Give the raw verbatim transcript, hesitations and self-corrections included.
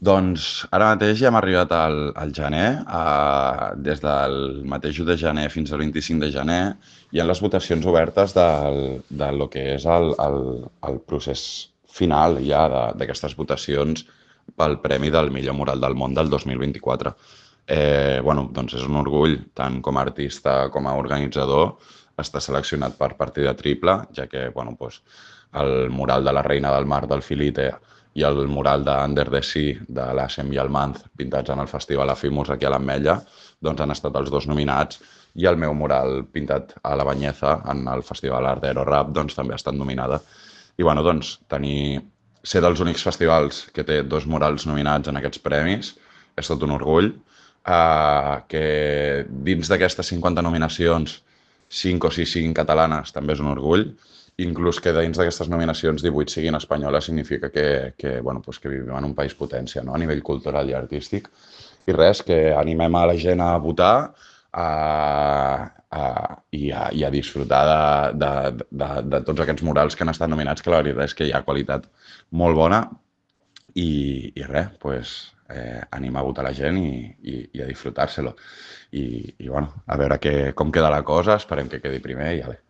Doncs ara mateix ja hem arribat al, al gener, a, des del mateix u de gener fins al vint-i-cinc de gener, hi ha les votacions obertes del, de lo que és el, el, el procés final ja de- d'aquestes votacions pel Premi del millor mural del món del dos mil vint-i-quatre. Eh, bueno, doncs és un orgull, tant com a artista com a organitzador, està seleccionat per partida triple, ja que bueno, doncs, el mural de la Reina del Mar del Filite i el mural d'Under the Sea de l'Assem i el Manz, pintats en el Festival Afimus aquí a l'Ametlla, doncs han estat els dos nominats, i el meu mural pintat a la Banyeza en el Festival Art d'Aero Rap doncs, també ha estat nominada. I bueno, doncs, tenir, ser dels únics festivals que té dos murals nominats en aquests premis és tot un orgull. Uh, que dins d'aquestes cinquanta nominacions, cinc o sis siguin catalanes, també és un orgull. Inclús que dins d'aquestes nominacions divuit siguin espanyoles significa que, que, bueno, pues que vivim en un país potència, no? A nivell cultural i artístic. I res, que animem a la gent a votar a, a, i, a, i a disfrutar de, de, de, de tots aquests murals que han estat nominats, que la veritat és que hi ha qualitat molt bona. I, i res, pues, eh, animar a votar la gent i, i, i a disfrutar-se-lo. I, i bueno, a veure que, com queda la cosa, esperem que quedi primer i ja bé.